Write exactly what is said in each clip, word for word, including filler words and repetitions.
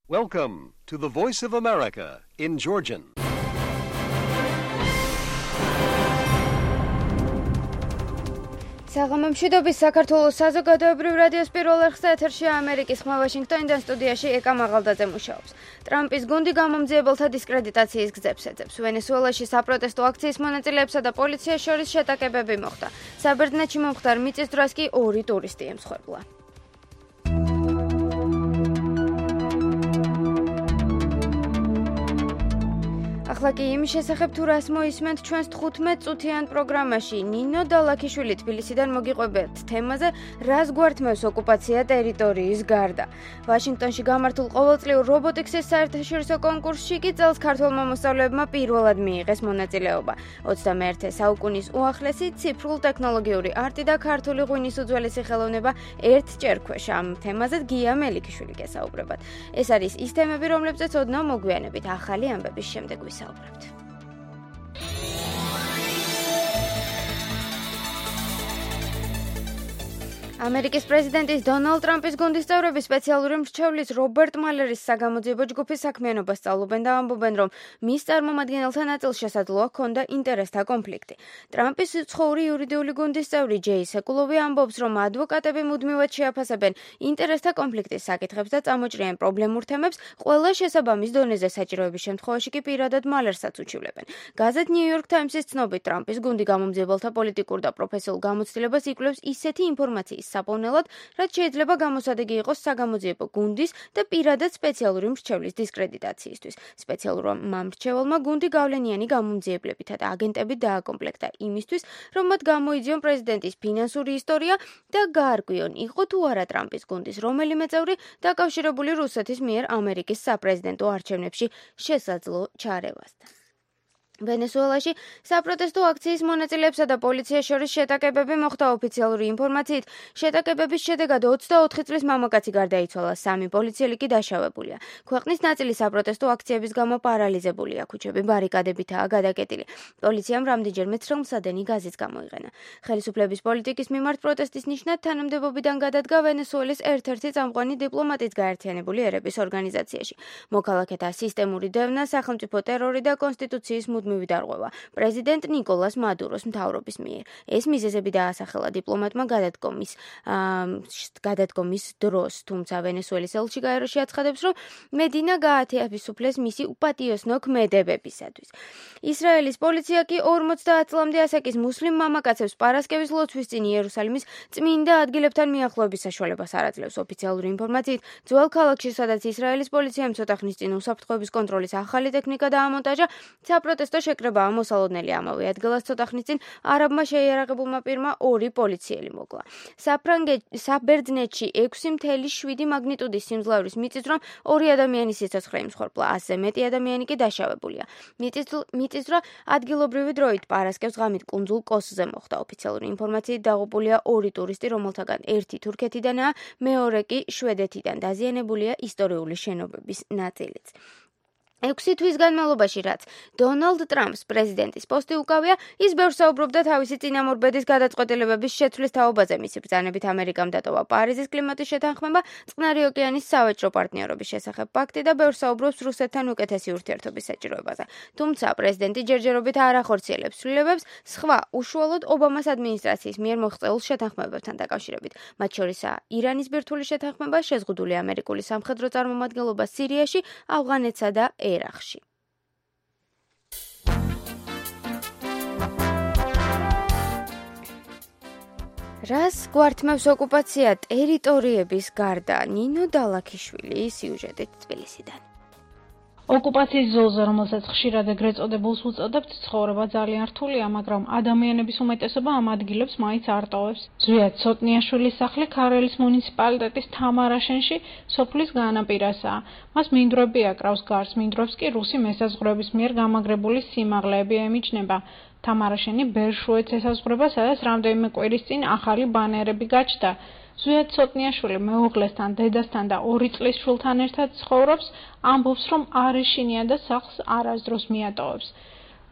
Welcome to the Voice of America in Georgian. საღამომშვიდობის საქართველოს საზოგადოებრივ რადიოს პირველ არხზე ეთერშია ამერიკის ხმა ვაშინგტონიდან სტუდიაში ეკა მაღალდაძე მუშაობს. ტრამპის გუნდი გამომძიებელთა დისკრედიტაციის გზებს ეძებს. ვენესუელაში საპროტესტო აქციის მონაწილეებსა და პოლიციას შორის შეტაკებები მოხდა. საბერძნეთში მომხდარ მიწის დროს კი ორი ტურისტი ემსხვერპლა. ახლა კი იმის შესახებ თუ რას მოისმენთ ჩვენს თხუთმეტ წუთიან პროგრამაში. ნინო დალაქიშვილი თბილისიდან მოგიყვებათ თემაზე რას გვართმევს ოკუპაცია ტერიტორიის გარდა. ვაშინგტონში გამართულ ყოველწლიურ რობოტიკსის საერთაშორისო კონკურსში კი წელს ქართველმა მოსწავლეებმა პირველად მიიღეს მონაწილეობა. ოცდამეერთე საუკუნის უახლესი ციფრულ ტექნოლოგიური არტი და ქართული ღვინის უძველესი ხელოვნება ერთჯერ ქვეშ. ამ თემაზე გია მელიქიშვილი გესაუბრებათ. ეს არის ის თემები, რომლებზეც ოდნავ მოგვიანებით ახალი ამბების შემდეგ ვისაუბრებთ. ამერიკის პრეზიდენტის დონალდ ტრამპის გუნდის წევრები სპეციალური მრჩევლის რობერტ მალერის საგამოძიებო ჯგუფის საქმიანობას სწავლობენ და ამბობენ, რომ მის წარმომადგენელთა ნაწილს შესაძლოა ჰქონდა ინტერესთა კონფლიქტი. ტრამპის უცხოური იურიდიული გუნდის წევრი ჯეი სეკულოვი ამბობს, რომ ადვოკატები მუდმივად შეაფასებენ ინტერესთა კონფლიქტის საკითხებს და წამოჭრიან პრობლემურ თემებს, ყველა შესაბამის დონეზე საჭიროების შემთხვევაში კი პირადად მალერსაც უჩივლებენ. გაზეთ New York Times-ის ცნობით, ტრამპის გუნდი გამომძიებელთა პოლიტიკურ და პროფესიულ გამოცდილებას იკვლევს ისეთი ინფორმაციის საპოვნელად, რაც შეიძლება გამოსადეგი იყოს საგამოძიებო გუნდის და პირადად სპეციალური მრჩევლის დისკრედიტაციისთვის. სპეციალურმა მრჩეველმა გუნდი გავლენიანი გამომძიებლებითა და აგენტებით დააკომპლექტა იმისთვის, რომ მათ გამოიძიონ პრეზიდენტის ფინანსური ისტორია და გაარკვიონ, იყო თუ არა ტრამპის გუნდის რომელიმე წევრი დაკავშირებული რუსეთის მიერ ამერიკის საპრეზიდენტო არჩევნებში შესაძლო ჩარევასთან. ვენესუელაში საპროტესტო აქციის მონაწილეებსა და პოლიციას შორის შეტაკებები მოხდა. ოფიციალური ინფორმაციით, შეტაკებების შედეგად ოცდაოთხი წლის მამაკაცი გარდაიცვალა, სამი პოლიციელი კი დაშავებულია. ქვეყნის ნაწილი საპროტესტო აქციების გამო პარალიზებულია, ქუჩები ბარიკადებითაა გადაკეტილი. პოლიციამ რამდენჯერმე ცრემლსადენი გაზიც გამოიყენა. ხელისუფლების პოლიტიკის მიმართ პროტესტის ნიშნად თანამდებობიდან გადადგა ვენესუელის ერთ-ერთი წამყვანი დიპლომატიც გაერთიანებული ერების ორგანიზაციაში. მოქალაქეთა სისტემური დევნა, სახელმწიფო ტერორი და კონსტიტუციის მუდმივი დარღვევა პრეზიდენტ ნიკოლას მადუროს მთავრობის მიერ. ეს მიზეზები დაასახელა დიპლომატმა გადადგომის გადადგომის დროს, თუმცა ვენესუელის ელჩი გაეროში აცხადებს, რომ მედინა გაათავისუფლეს მისი უპატიოსნო ქმედებებისათვის. ისრაელის პოლიცია კი ორმოცდაათ წლამდე ასაკის მუსლიმ მამაკაცებს პარასკევის ლოცვის წინ იერუსალიმის წმინდა ადგილებთან მიახლოების საშუალებას არ აძლევს. ოფიციალური ინფორმაციით, ძველ ქალაქში, სადაც ისრაელის პოლიციამ ცოტა ხნის წინ უსაფრთხოების კონტროლის ახალი ტექნიკა დაამონტაჟა, საპროტესტო შეკრებაა მოსალოდნელი. ამავე ადგილას ცოტა ხნის წინ არაბმა შეიარაღებულმა პირმა ორი პოლიციელი მოკლა. საბერძნეთში ექვსი მთელი შვიდი მაგნიტუდის სიმძლავრის მიწისძვრამ ორი ადამიანის სიცოცხლე იმსხვერპლა, ასზე მეტი ადამიანი კი დაშავებულია. მიწისძვრა ადგილობრივი დროით პარასკევს ღამით კუნძულ კოსზე მოხდა. ოფიციალური ინფორმაციით დაღუპულია ორი ტურისტი, რომელთაგან ერთი თურქეთიდანაა, მეორე კი შვედეთიდან. დაზიანებულია ისტორიული შენობების ნაწილიც. ექვსი თვის განმავლობაში, რაც დონალდ ტრამპს პრეზიდენტის პოსტი უკავია, ის ბევრს საუბრობდა თავისი წინამორბედის გადაწყვეტილებების შეცვლის თაობაზე. მისი ბრძანებით ამერიკამ დატოვა პარიზის კლიმატის შეთანხმება, წყნარი ოკეანის სავაჭრო პარტნიორობის შესახებ პაქტი და ბევრს საუბრობს რუსეთთან უკეთესი ურთიერთობის საჭიროებაზე. თუმცა პრეზიდენტი ჯერჯერობით არ ახორციელებს ცვლილებებს სხვა უშუალოდ ობამას ადმინისტრაციის მიერ მოღწეულ შეთანხმებებთან დაკავშირებით. მათ შორისაა ირანის ბირთვული შეთანხმება, შეზღუდული ამერიკული სამხედრო წარმომადგენლობა სირიაში, ავღანეთსა და ერაყში. რას გვართმევს ოკუპაცია ტერიტორიების გარდა? ნინო დალაქიშვილი სიუჟეტით თბილისიდან. ოკუპაციის ზოლზე, რომელსაც ხშირად ეგრეთ წოდებულს უწოდებთ, ცხოვრება ძალიან რთულია, მაგრამ ადამიანების უმეტესობა ამ ადგილებს მაინც არ ტოვებს. ზვიად ცოტნიაშვილის სახლი ქარელის მუნიციპალიტეტის თამარაშენში, სოფლის განაპირასაა. მას მინდვრები აკრავს გარს, მინდვრებს კი რუსი მესაზღვრეების მიერ გამაგრებული სიმაღლეები ემიჯნება. თამარაშენი ბერშუეთს ესაზღვრება, სადაც რამდენიმე კვირის წინ ახალი ბანერები გაჩნდა. ზვიად ცოტნიაშვილი მეუღლესთან, დედასთან და ორი წლის შვილთან ერთად ცხოვრობს, ამბობს, რომ არ ეშინია და სახლს არასდროს მიატოვებს.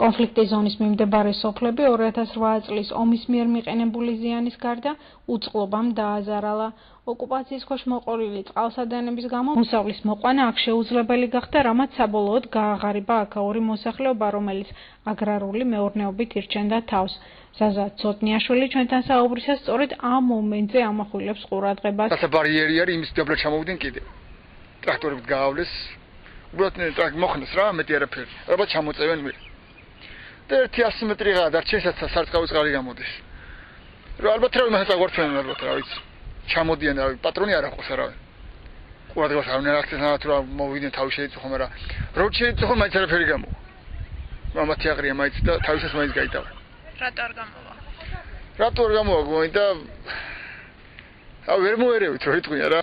კონფლიქტის ზონის მიმდებარე სოფლები ორი ათას რვა წლის ომის მიერ მიყენებული ზიანის გარდა უწყლობამ დააზარალა. ოკუპაციის ქვეშ მოყოლილი წყალსადენების გამო მოსავლის მოყვანა აქ შეუძლებელი გახდა, რამაც საბოლოოდ გააღარიბა აქაური მოსახლეობა, რომელიც აგრარული მეურნეობით ირჩენდა თავს. ზაზა ცოტნიაშვილი ჩვენთან საუბრისას სწორედ ამ მომენტზე ამახვილებს ყურადღებას. რაცა ბარიერი არის, იმის დაბლა ჩამოვიდნენ კიდე. ტრაქტორებით გაავლეს. უბრალოდ ტრაქტორი მოხნეს რა, მეტი არაფერი. ალბათ ჩამოწევენ მე. და ერთი ასი მეტრიღაა დარჩენსაც სარწყავი წყალი გამოდის. რა ალბათ რა იმასაც აღვარჩენენ ალბათ რა ვიცი. ჩამოდიან რა პატრონი არ აქვს არავინ. ყურადღებას არ უნდა აქცეს რა თუ მოვიდნენ თავი შეიძლება ხომ არა. რო შეიძლება მაინც არაფერი გამოვა. მამათი აღრია მაინც და თავისას მაინც გაიტავა. რატო არ გამოვა? რატო არ გამოვა გოინდა? ა ვერ მოერევით რო იტყვია რა.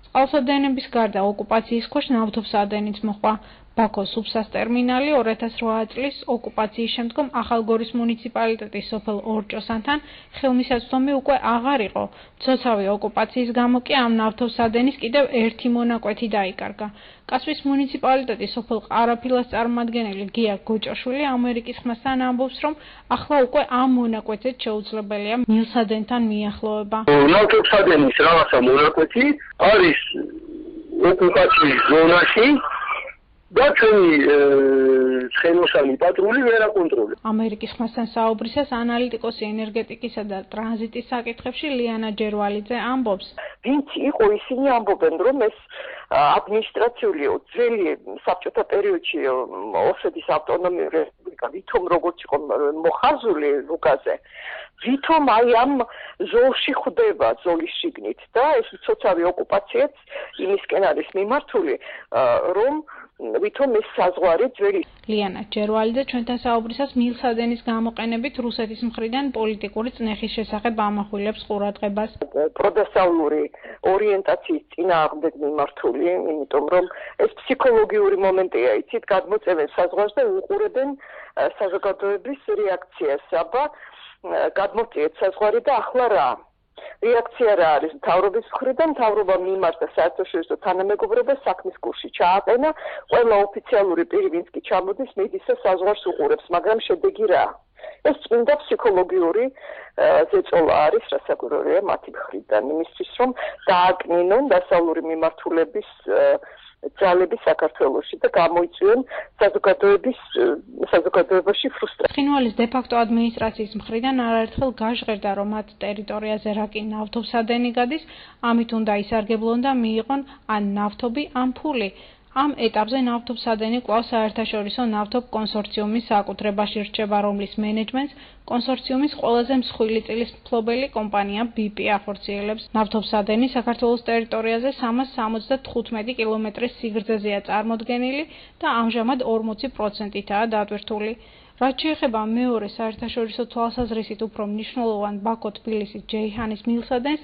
წყალსადენების გარდა ოკუპაციის ქვეშ ნავთობსადენიც მოხდა. ბაქოს სუბსას ტერმინალი ორი ათას რვა წლის ოკუპაციის შემდგომ ახალგორის მუნიციპალიტეტის სოფელ ორჭოსანთან ხელმისაწვდომი უკვე აღარ იყო. ცოცავი ოკუპაციის გამო კი ამ ნავთობსადენის კიდევ ერთი მონაკვეთი დაიკარგა. კასპის მუნიციპალიტეტის სოფელ ყარაფილას წარმომადგენელი გია გოჭაშვილი ამერიკის ხმასთან ამბობს, რომ ახლა უკვე ამ მონაკვეთზე შეუძლებელია მილსადენთან მიახლოება. ნავთობსადენის რაღაცა მონაკვეთი არის ოკუპაციის ზონაში. და ჩვენი ცხენოსანი პატრული ვერ აკონტროლებს. ამერიკის ხმასთან საუბრისას ანალიტიკოსი ენერგეტიკისა და ტრანზიტის საკითხებში ლიანა ჯერვალიძე ამბობს. ვინც იყო ისინი ამბობენ, რომ ეს ადმინისტრაციული ძველი საბჭოთა პერიოდში ოსეთის ავტონომიური რესპუბლიკა ვითომ როგორც იყო მოხაზული ლუკაზე, ვითომ აი ამ ზოლში ხვდება ზოლის შიგნით და ეს ცოცავი ოკუპაციაც იმისკენ არის მიმართული, რომ ვითომ ეს საზღვარი ძველი. ლიანა ჯერვალიძე ჩვენთან საუბრისას მილსადენის გამოყენებით რუსეთის მხრიდან პოლიტიკური წნეხის შესახებ ამახვილებს ყურადღებას. პროდასავლური ორიენტაციის წინააღმდეგ მიმართული, იმიტომ რომ ეს ფსიქოლოგიური მომენტია, იცით, გადმოწევენ საზღვარს და უყურებენ საზოგადოების რეაქციას. აბა გადმოწიეთ საზღვარი და ახლა რა? რეაქცია რა არის მთავრობის მხრიდან, მთავრობა მიმართა საერთაშორისო თანამეგობრობას საქმის კურსში ჩააყენა, ყველა ოფიციალური პირი ვინც კი ჩამოდის, მიდის და საზღვარს უყურებს, მაგრამ შედეგი რა? ეს წმინდა ფსიქოლოგიური ზეწოლა არის, რასაკვირველია მათი მხრიდან, იმისთვის რომ დააკნინონ დასავლური მიმართულების ძალები საქართველოში და გამოიწვიონ საზოგადოების საზოგადოებაში ფრუსტრაცია. ცხინვალის დე-ფაქტო ადმინისტრაციის მხრიდან არაერთხელ გაჟღერდა, რომ მათ ტერიტორიაზე რა კი ნავთობსადენი გადის, ამით უნდა ისარგებლონ და მიიღონ ან ნავთობი, ან ფული. ამ ეტაპზე ნავთობსადენი კვლავ საერთაშორისო ნავთობ კონსორციუმის საკუთრებაში რჩება, რომლის მენეჯმენტს კონსორციუმის ყველაზე მსხვილი წილის მფლობელი კომპანია ბი პი ახორციელებს. ნავთობსადენი საქართველოს ტერიტორიაზე სამას სამოცდათხუთმეტი კილომეტრის სიგრძეზეა წარმოდგენილი და ამჟამად ორმოცი პროცენტითაა დატვირთული. რაც შეეხება მეორე საერთაშორისო თვალსაზრისით უფრო მნიშვნელოვან ბაქო-თბილისის ჯეიჰანის მილსადენს,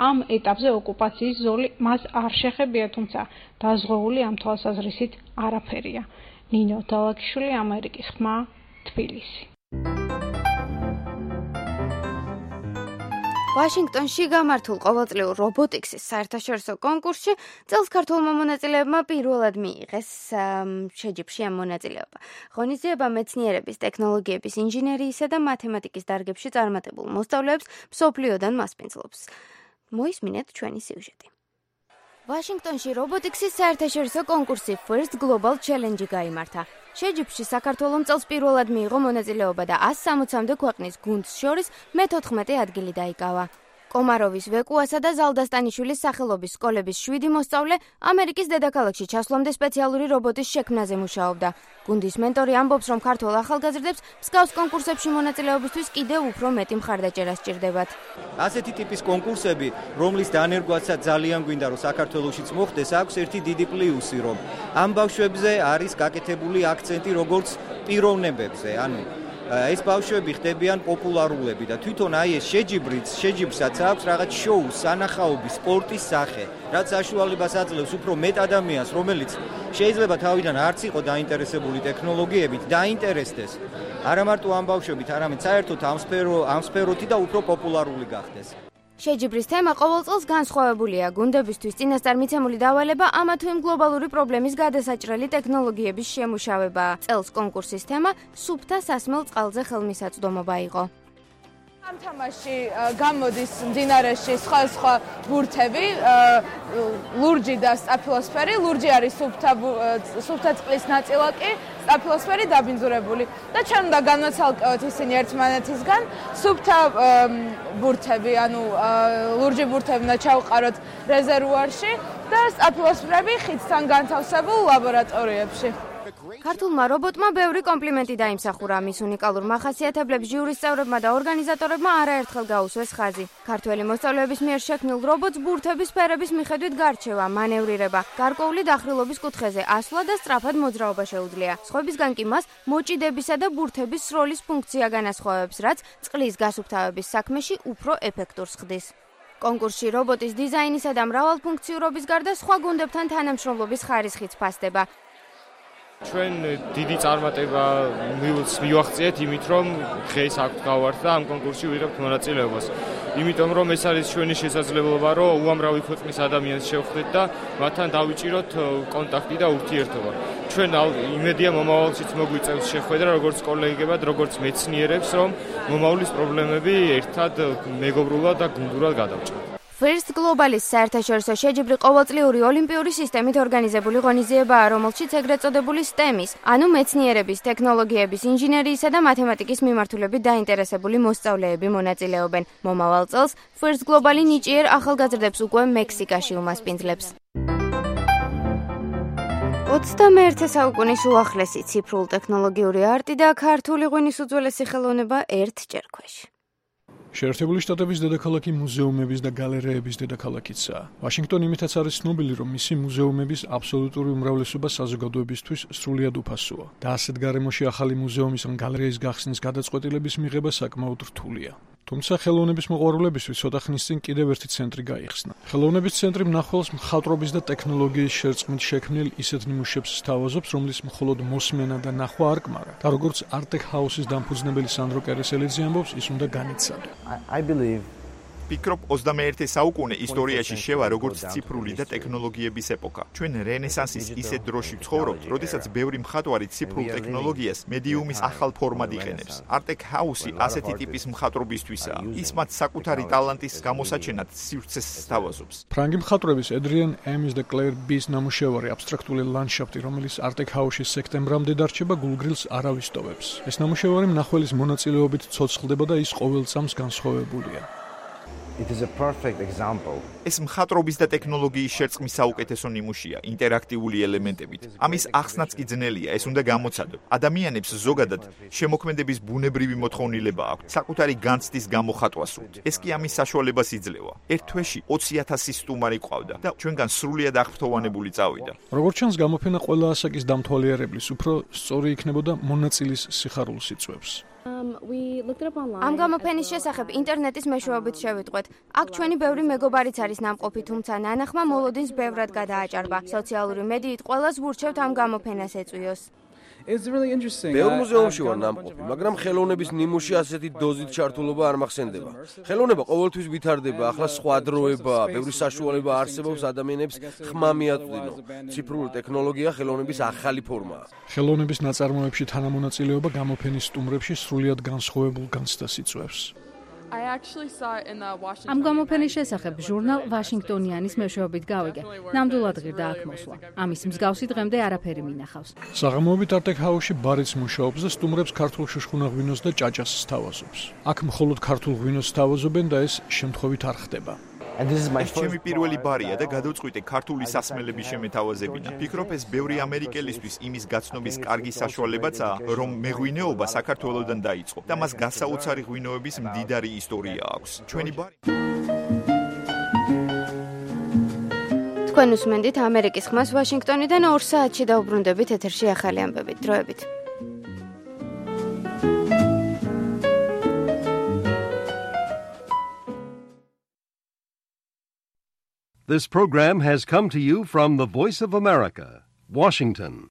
ამ ეტაპზე ოკუპაციის ზოლი მას არ შეხებია, თუმცა დაზღვეული ამ თვალსაზრისით არაფერია. ნინო დალაკიშვილი, ამერიკის ხმა, თბილისი. ვაშინგტონში გამართულ ყოველწლიურ რობოტიქსის საერთაშორისო კონკურსში წელს ქართულმა მონაწილეებმა პირველად მიიღეს შეჯიბრში ამ მონაწილეობა. ღონისძიება მეცნიერების, ტექნოლოგიების, ინჟინერიისა და მათემატიკის დარგებში წარმატებულ მოსწავლეებს მსოფლიოდან მასპინძლობს. მოისმინეთ ჩვენი სიუჟეტი. ვაშინგტონში რობოტიქსის საერთაშორისო კონკურსი First Global Challenge გაიმართა. შეჯიბრში საქართველომ წელს პირველად მიიღო მონაწილეობა და ასი სამოცამდე ქვეყნის გუნდს შორის მეთოთხმეტე ადგილი დაიკავა. კომაროვის ვეკუასა და ზალდასტანიშვილის სახელობის სკოლების შვიდი მოსწავლე ამერიკის დედაქალაქში ჩასვლამდე სპეციალური რობოტის შექმნაზე მუშაობდა. გუნდის მენტორი ამბობს, რომ ქართველ ახალგაზრდებს მსგავს კონკურსებში მონაწილეობისთვის კიდევ უფრო მეტი მხარდაჭერა სჭირდებათ. ასეთი ტიპის კონკურსები, რომლის დანერგვაცაც ძალიან გვინდა, რომ საქართველოშიც მოხდეს, აქვს ერთი დიდი პლუსი, რომ ამ ბავშვებზე არის გაკეთებული აქცენტი როგორც პიროვნებებზე, ანუ ეს ბავშვები ხდებიან პოპულარულები და თვითონ აი ეს შეჯიბრიც, შეჯიბრსაც აქვს რაღაც შოუს, სანახაობის, სპორტის სახე, რაც საშუალებას აძლევს უფრო მეტ ადამიანს, რომელიც შეიძლება თავიდან არც იყო დაინტერესებული ტექნოლოგიებით, დაინტერესდეს არა მარტო ამ ბავშვებით, არამედ საერთოდ ამ სფერო, ამ სფეროთი და უფრო პოპულარული გახდეს. შეჯიბრის თემა ყოველ წელს განსხვავებულია. გუნდებისთვის წინასწარ მიცემული დავალება ამა თუ იმ გლობალური პრობლემის გადასაჭრელი ტექნოლოგიების შემუშავებაა. წელს კონკურსის თემა სუფთა სასმელ წყალზე ხელმისაწვდომობა იყო. ამ თამაში გამოდის მდინარეში სხვა-სხვა ბურთები, ლურჯი და სტაფილოსფერი. ლურჯი არის სუფთა სუფთა წყლის ნაწილაკი, სტაფილოსფერი დაბინძურებული. და ჩვენ უნდა განვაცალკევოთ ისინი ერთმანეთისგან. სუფთა ბურთები, ანუ ლურჯი ბურთები უნდა ჩავყაროთ რეზერვუარში და სტაფილოსფერები ხიდთან განთავსებულ ლაბორატორიებში. ქართულმა რობოტმა ბევრი კომპლიმენტი დაიმსახურა. მის უნიკალურ მახასიათებლებს ჟიურის წევრებმა და ორგანიზატორებმა არაერთხელ გაუსვეს ხაზი. ქართველი მოსწავლეების მიერ შექმნილ რობოტს ბურთების სფერების მიხედვით გარჩევა, მანევრირება, გარკვეული დახრილობის კუთხეზე ასვლა და სწრაფად მოძრაობა შეუძლია. სხვებისგან კი მას მოჭიდებისა და ბურთების სროლის ფუნქცია განასხვავებს, რაც წყლის გასუფთავების საქმეში უფრო ეფექტურს ხდის. კონკურსში რობოტის დიზაინისა და მრავალფუნქციურობის გარდა სხვა გუნდებთან თანამშრომლობის ხარისხიც ფასდება. ჩვენ დიდი წარმატება მივახციეთ იმით, რომ დღეს აქ გავართ და ამ კონკურსში ვიღებთ მონაწილეობას. იმიტომ რომ ეს არის ჩვენი შესაძლებლობა, რომ უამრავი ქვეყნის ადამიანს შევხვდეთ და მათთან დავიჭიროთ კონტაქტი და ურთიერთობა. ჩვენ იმედია მომავალშიც მოგვიწევს შეხვედრა როგორც კოლეგებად, როგორც მეცნიერებს, რომ მომავლის პრობლემები ერთად მეგობრულად და გუნდურად გადავჭრათ. First Global-ის საერთაშორისო შეჯიბრი ყოველწლიური ოლიმპიური სისტემით ორგანიზებული ღონისძიებაა, რომელშიც ეგრეთ წოდებული STEM-ის, ანუ მეცნიერების, ტექნოლოგიების, ინჟინერიისა და მათემატიკის მიმართულებით დაინტერესებული მოსწავლეები მონაწილეობენ. მომავალ წელს First Global-ი ნიჭიერ ახალგაზრდებს უკვე მექსიკაში უმასპინძლებს. ოცდამეერთე საუკუნის უახლესი ციფრულ ტექნოლოგიური არტი და ქართული ღვინის უძველესი ხელოვნება ერთ ჭერქვეში. შეერთებული შტატების დედაქალაქი მუზეუმების და გალერეების დედაქალაქიცაა. ვაშინგტონი იმითაც არის ცნობილი, რომ მისი მუზეუმების აბსოლუტური უმრავლესობა საზოგადოებისთვის სრულიად უფასოა და ასეთ გარემოში ახალი მუზეუმის ან გალერეის გახსნის გადაწყვეტილების მიღება საკმაოდ რთულია. თუმცა ხელოვნების მოყვარულებისთვის ცოტა ხნის წინ კიდევ ერთი ცენტრი გაიხსნა. ხელოვნების ცენტრი მნახველს მხატვრობის და ტექნოლოგიის შერწყმით შექმნილ ისეთ ნიმუშებს სთავაზობს, რომლის მხოლოდ მოსმენა და ნახვა არ კმარა. და როგორც არტეკ ჰაუსის დამფუძნებელი სანდრო კერესელიძე ამბობს, ის უნდა განიცადო. I believe ფიქრობ ოცდამეერთე საუკუნე ისტორიაში შევა როგორც ციფრული და ტექნოლოგიების ეპოქა. ჩვენ რენესანსის ისეთ დროში ვცხოვრობთ, როდესაც ბევრი მხატვარი ციფრულ ტექნოლოგიას მედიუმის ახალ ფორმად იყენებს. არტეკ ჰაუსი ასეთი ტიპის მხატვრობისთვისაა. ის მათ საკუთარი ტალანტის გამოსაჩენად სივრცეს სთავაზობს. ფრანგი მხატვრების Adrian Ames და Claire B-ის ნამუშევარი აბსტრაქტული ლანდშაფტი, რომელიც არტეკ ჰაუსში სექტემბრამდე დარჩება, გულგრილს არ ავისტოვებს. ეს ნამუშევარი მნახველის მონაწილეობით ცოცხლდება და ის ყოველ წამს განსხვავებულია. It is a perfect example. ეს მხატვრობის და ტექნოლოგიის შერწყმის საუკეთესო ნიმუშია, ინტერაქტიული ელემენტებით. ამის ახსნაც კი ძნელია, ეს უნდა გამოცადო. ადამიანებს ზოგადად შემოქმედების ბუნებრივი მოთხოვნილება აქვთ, საკუთარი განცდის გამოხატვა სურთ. ეს კი ამის საშუალებას იძლევა. ერთ თვეში ოცი ათასი სტუმარი ყავდა და ჩვენგან სრულიად აღფრთოვანებული წავიდა. როგორც ჩანს, გამოფენა ყველა ასაკის დამთვალიერებლის უფრო სწორი იქნებოდა მონაწილის სიხარულს იწვევს. ამ გამოფენის შესახებ ინტერნეტის მეშვეობით შევიტყვეთ. აქ ჩვენი ბევრი მეგობარიც არის ნამყოფი, თუმცა ნანახმა მოლოდინს ბევრად გადააჭარბა. სოციალური მედიით ყველას ვურჩევთ ამ გამოფენას ეწვიოს. ბევრ მუზეუმში ვარ ნამყოფი, მაგრამ ხელოვნების ნიმუში ასეთი დოზით ჩართულობა არ მახსენდება. ხელოვნება ყოველთვის ვითარდება, ახლა სხვა დროებაა, ბევრი საშუალება არსებობს ადამიანებს ხმა მიაწვდინო. ციფრული ტექნოლოგია ხელოვნების ახალი ფორმაა. ხელოვნების ნაწარმოებში თანამონაწილეობა გამოფენის სტუმრებში სრულიად განსხვავებულ განცდას იწვევს. ამ გამოფენის შესახებ ჟურნალ ვაშინგტონიანის მეშვეობით გავიგე. ნამდვილად ღირდა აქ მოსვლა. ამის მსგავსი დღემდე არაფერი მინახავს. საღამოობით არტეკ ჰაუსში ბარიც მუშაობს და სტუმრებს ქართულ შუშხუნა ღვინოს და ჭაჭას სთავაზობს. აქ მხოლოდ ქართულ ღვინოს სთავაზობენ და ეს შემთხვევით არ ხდება. ეს ჩემი პირველი ბარია და გადავწყვიტე ქართული სასმელების შემეთავაზებინა. ფიქრობ, ეს ბევრი ამერიკელისთვის იმის გაცნობის კარგი საშუალებაცაა, რომ მეღვინეობა საქართველოსდან დაიწყო და მას გასაოცარი ღვინოების მდიდარი ისტორია აქვს. ჩვენი ბარი თქვენ უსმენთ ამერიკის ხმას ვაშინგტონიდან ორ საათში დაუბრუნდებით ეთერში ახალი ამბებით. დროებით. This program has come to you from the Voice of America, Washington.